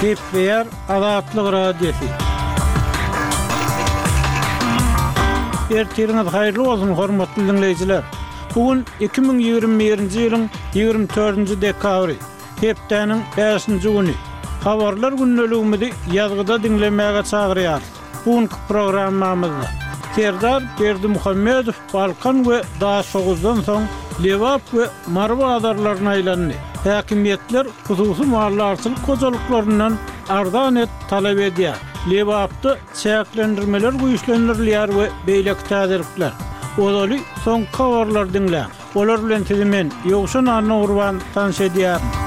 Gepleýär Azatlyk Radiosy. Ertiriňiz haýyrly bolsun, hormatly diňleýjiler! Bu gün 2021-nji ýylyň 24-nji dekabry, hepdäniň bäşinji güni. Habarlar gündeligimizi ýazgyda diňlemäge çagyrýarys. Bu günki programmamyzda Serdar Berdimuhamedow Balkan we Daşoguzdan soň Lebap we Mary bazarlaryna aýlandy. Häkimiýetler hususy maldarçylyk hojalyklaryndan arzan et talap edýär. Lebapda çäklendirmeler güýçlendirilýär we beýleki täzelikler. Ozaly soňky habarlary diňläň. Olar bilen sizi men, Ýowşan Annagurban, tanyş edýärin.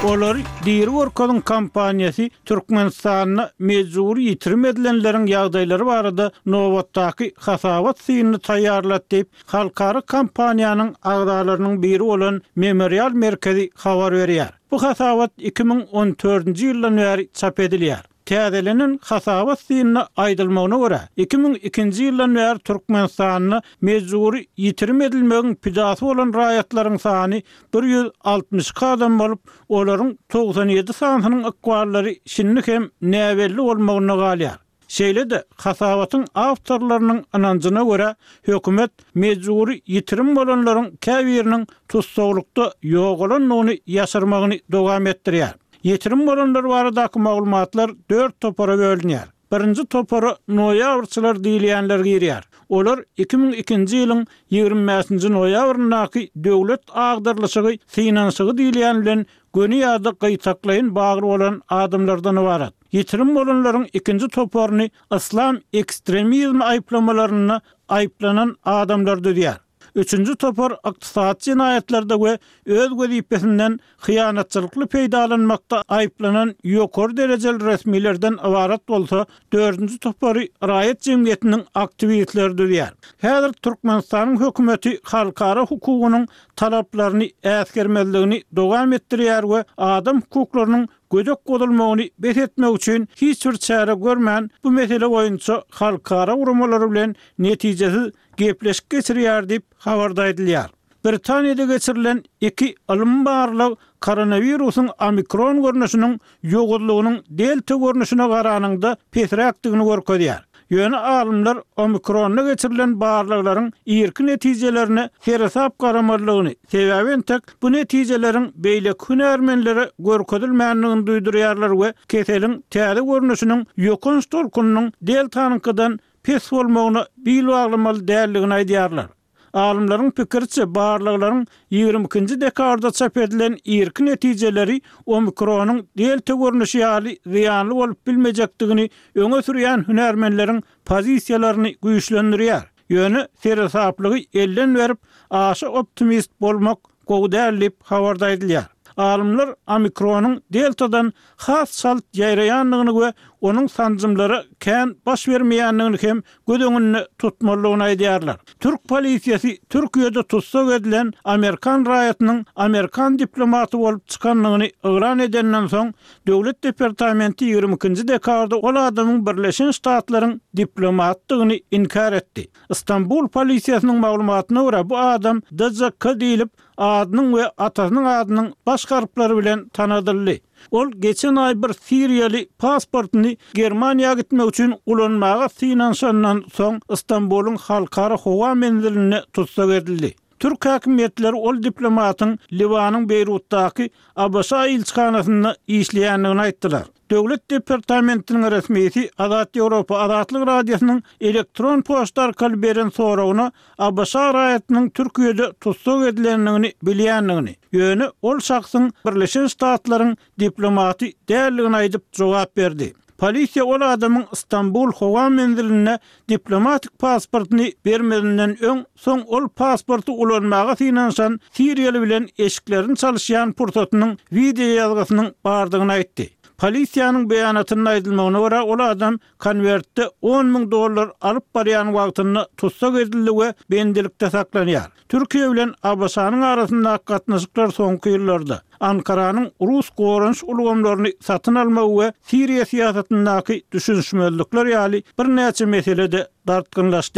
Olary diri görkeziň kampaniýasy Türkmenistanda mejbury ýitirim edilenleriň ýagdaýlary barada nobatdaky hasabat synyny taýýarlady diýip, halkara kampaniýanyň agzalarynyň biri bolan Memorial merkezi habar berýär. Bu hasabat 2014-nji ýyldan bäri çap edilýär. Täzelenen hasabat synynda aýdylmagyna görä, 2002-nji ýyldan bäri Türkmenistanda mejbury ýitirim edilmegiň pidasy bolan raýatlaryň sany 162 adam bolup, olaryň 97 sanysynyň ykballary şindi hem näbelli bolmagynda galýar. Şeýle-de, hasabatyň awtorlarynyň ynanjyna görä, hökümet mejbury ýitirim bolanlaryň käbiriniň tussaglykda ýogalandygyny ýaşyrmagyny dowam etdirýär. Ýitirim bolanlar baradaky maglumatlar dört topara bölünýär. Birinji topara noýabrçylar diýilýänler girýär. Olar 2002-nji ýylyň 25-nji noýabryndaky döwlet agdarylyşygy synanyşygy diýilýän bilen göni ýa-da gytaklaýyn bagly bolan adamlardan ybarat. Ýitirim bolanlaryň ikinji toparyny yslam ekstremizmi aýyplamalarynda aýyplanan adamlar düzýär. Üçünji topar ykdysady jenaýatlarda we öz wezipesinden hyýanatçylykly peýdalanmakda aýyplanan ýokary derejeli resmilerden ybarat bolsa, dördünji topary raýat jemgyýetiniň aktiwistleri düzýär. Häzir Türkmenistanyň hökümeti halkara hukugynyň talaplaryny äsgermezligini dowam etdirýär we adam hukuklarynyň gödek bozulmagyny bes etmek üçin hiç bir çäre görmän, bu mesele boýunça halkara guramalary bilen netijesiz gepleşik geçirýär diýip, habarda aýdylýar. Britaniýada geçirilen iki ylmy barlag koronawirusyň omikron görnüşiniň ýowuzlygynyň delta görnüşine garanyňda pesräkdigini görkezýär. Ýöne alymlar omikronda geçirilen barlaglaryň irki netijelerine seresap garamalydygyny, sebäbi entek bu netijeleriň beýleki hünärmenlere görkezilmändigini duýdurýarlar we keseliň täze görnüşiniň ýokanç tolkunynyň deltanyňkydan pes bolmagyna bil baglamaly däldigini aýdýarlar. Alymlaryň pikiriçe, barlaglaryň 22-nji dekabrda çap edilen irki netijeleri omikronyň delta görnüşi ýaly zyýanly bolup bilmejekdigini öňe sürýän hünärmenleriň pozisiýalaryny güýçlendirýär. Ýöne seresaplygy elden berip, aşa optimist bolmak gowy däl diýip, habarda aýdylýar. Alymlar omikronyň deltadan has çalt ýaýraýandygyny we onuň sanjymlara kän baş bermeýändigini hem göz öňünde tutmalydygyny aýdýarlar. Türk polisiýasy Türkiýede tussag edilen amerikan raýatynyň amerikan diplomaty bolup çykandygyny yglan edenden soň, Döwlet departamenti 22-nji dekabrda ol adamyň Birleşen Ştatlaryň diplomatydygyny inkär etdi. Stambul polisiýasynyň maglumatyna görä, bu adam DJK diýlip, adynyň we atasynyň adynyň baş harplary bilen tanadyldy. Ol geçen aý bir siriýaly pasportyny Germaniýa gitmek üçin ulanmaga synanyşandan soň Stambulyň halkara howa menzilinde tussag edildi. Türk häkimiýetleri ol diplomatyň Liwanyň Beýrutdaky ABŞ ilçihanasynda işleýändigini aýtdylar. Döwlet departamentiniň resmisi Azat Ýewropa Azatlyk Radiosynyň elektron poçta arkaly beren soragyna ABŞ raýatynyň Türkiýede tussag edilendigini bilýändigini, ýöne ol şahsyň Birleşen Ştatlaryň diplomaty däldigini aýdyp jogap berdi. Polisiýa ol adamyň Stambul howa menzilinde diplomatik pasportyny bermezinden öň, soň ol pasporty ulanmaga synanyşan siriýaly bilen eşiklerini çalyşýan pursatynyň wideoýazgysynyň bardygyny aýtdy. Polisiýanyň beýanatynda aýdylmagyna görä, ol adam konwertde 10,000 dollar alyp barýan wagtynda tussag edildi we bendilikde saklanýar. Türkiýe bilen ABŞ-nyň arasyndaky gatnaşyklar soňky ýyllarda, Ankaranyň rus goranyş ulgamlaryny satyn almagy we Siriýa syýasatyndaky düşünişmezlikler ýaly birnäçe meselede dartgynlaşdy.